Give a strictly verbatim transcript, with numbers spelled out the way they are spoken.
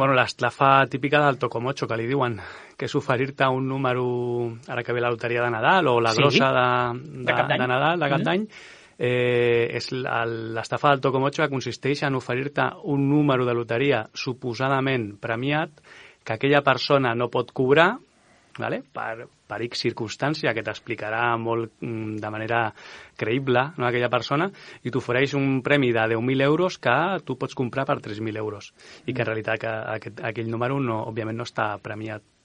Bueno, l'estafa típica del Tocomocho, que li diuen, que és oferir-te un número, ara que ve la loteria de Nadal, o la Sí. grossa de, De de, cap d'any. de Nadal, de cap Mm. d'any, eh, és la- l'estafa del Tocomocho que consisteix en oferir-te un número de loteria suposadament premiat que aquella persona no pot cobrar, vale? per, per X circumstància que t'explicarà molt mm, de manera creïble, no, aquella persona, i t'ofereix un premi de deu mil euros que tu pots comprar per tres mil euros i que en realitat que aquest, aquell número no, òbviament no està premiat